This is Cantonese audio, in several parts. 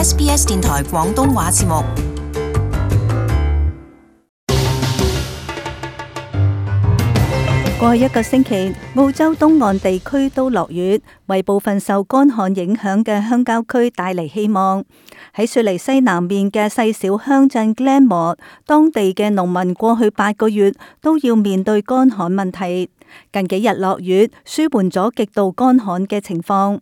SBS 電台廣東話節目。過去一個星期，澳洲東岸地區都落雨，為部分受乾旱影響嘅鄉郊區帶嚟希望。喺雪梨西南面嘅細小鄉鎮 Glenmore， 當地嘅農民過去8個月都要面對乾旱問題。近幾日落雨，舒緩咗極度乾旱嘅情況。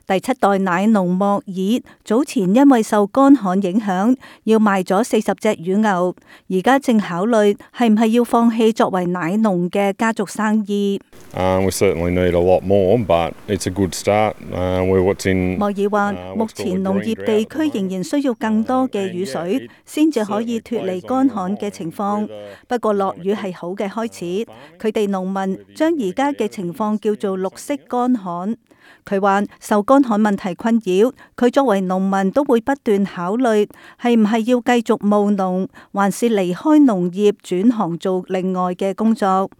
第7代奶農莫爾早前因為受乾旱影響，要賣咗40隻乳牛，而家正考慮係唔係要放棄作為奶農嘅家族生意。We certainly need a lot more, but it's a good start. We're 莫爾話：目前農業地區仍然需要更多嘅雨水，先至可以脫離乾旱嘅情況。不過落雨係好嘅開始，佢哋農民將而家嘅情況叫做綠色乾旱。佢話受乾旱問題困擾，佢作為農民都會不斷考慮係唔係要繼續務農，還是離開農業轉行做另外嘅工作。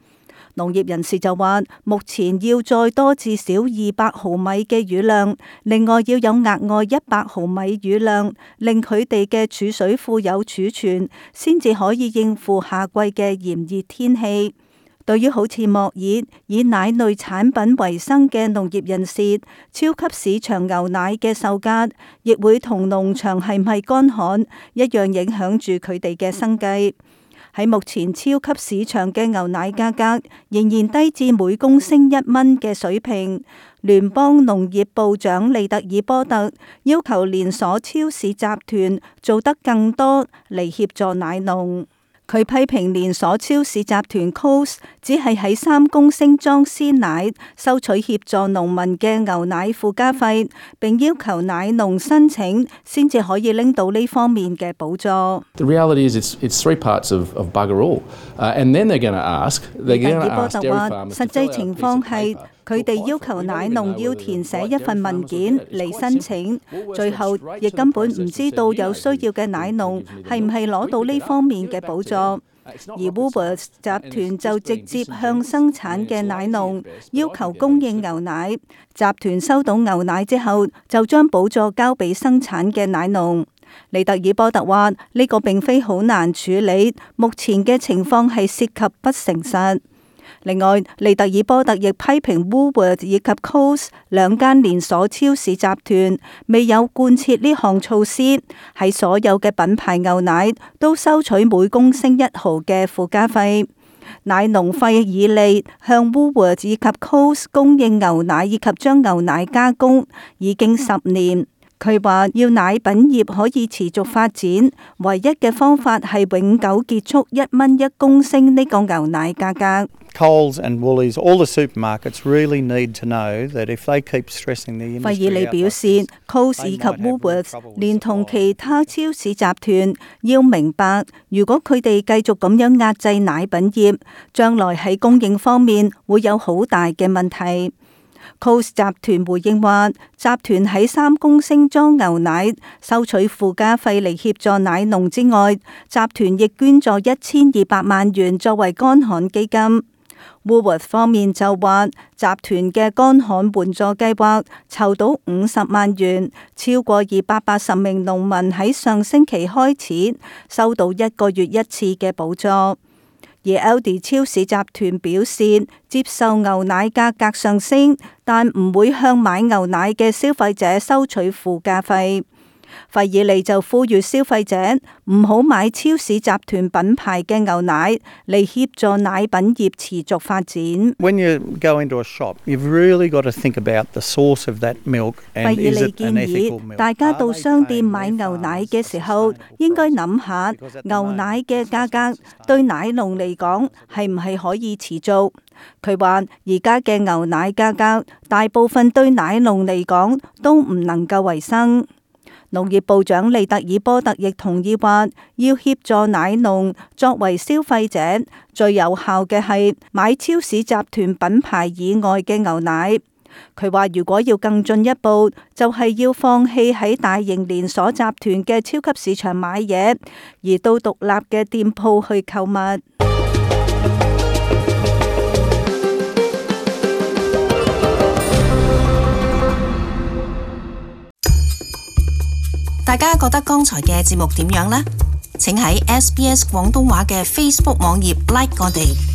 農業人士就話，目前要再多至少200毫米嘅雨量，另外要有額外100毫米雨量，令佢哋嘅儲水庫有儲存，先至可以應付夏季嘅炎熱天氣。對於好似莫爾以奶類產品為生嘅農業人士，超級市場牛奶嘅售價亦會同農場係唔係乾旱一樣影響住佢哋嘅生計。喺目前超級市場嘅牛奶價格仍然低至每公升1蚊嘅水平。聯邦農業部長利特爾波特要求連鎖超市集團做得更多嚟協助奶農。佢批評連鎖超市集團 Coles 只係喺3公升裝鮮奶收取協助農民嘅牛奶附加費，並要求奶農申請先至可以拎到呢方面嘅補助。The reality is it's 3 parts of bugger all, and then they're going to ask. 利特爾波特話，實際情況係佢哋要求奶農要填寫一份文件嚟申請，最後亦根本唔知道有需要嘅奶農係唔係攞到呢方面嘅補助。而 Woolworths 集團就直接向生產嘅奶農要求供應牛奶，集團收到牛奶之後就將補助交俾生產嘅奶農。利特爾波特話：呢個並非好難處理，目前嘅情況係涉及不誠實。另外，利特爾波特亦批評 Woolworths 以及 Coles 兩間連鎖超市集團未有貫徹呢項措施，喺所有嘅品牌牛奶都收取每公升1毫嘅附加費。奶農費爾利向 Woolworths 以及 Coles 供應牛奶以及將牛奶加工已經10年。佢話要奶品業可以持續發展，唯一嘅方法係永久結束1蚊1公升呢個牛奶價格。Coles and Woolies, all the supermarkets really need to know that if they keep stressing the industry. 費爾利表示 ，Coles 以及 Woolworths 連同其他超市集團要明白，如果佢哋繼續咁樣壓制奶品業，將來喺供應方面會有好大嘅問題。Coles 集團回應話，集團喺3公升裝牛奶收取附加費嚟協助奶農之外，集團亦捐助1200萬元作為乾旱基金。Woolworth 方面就話，集團嘅乾旱援助計劃籌到50萬元，超過280名農民喺上星期開始收到1個月1次嘅補助。而 Aldi 超市集團表示，接受牛奶價格上升，但唔會向買牛奶嘅消費者收取附加費。費爾利就呼籲消費者唔好買超市集團品牌嘅牛奶嚟協助奶品業持續發展。When you go into a shop, you've really got to think about the source of that milk and is it an ethical milk? 大家到商店買牛奶嘅時候，應該諗下牛奶嘅價格對奶農嚟講係唔係可以持續。佢話而家嘅牛奶價格大部分對奶農嚟講都唔能夠維生。農業部長利特爾波特亦同意話，要協助奶農作為消費者，最有效嘅係買超市集團品牌以外嘅牛奶。佢話如果要更進一步，就係要放棄喺大型連鎖集團嘅超級市場買嘢，而到獨立嘅店鋪去購物。大家覺得剛才嘅節目點樣呢？請喺SBS 廣東話嘅 Facebook 網頁 like 我哋。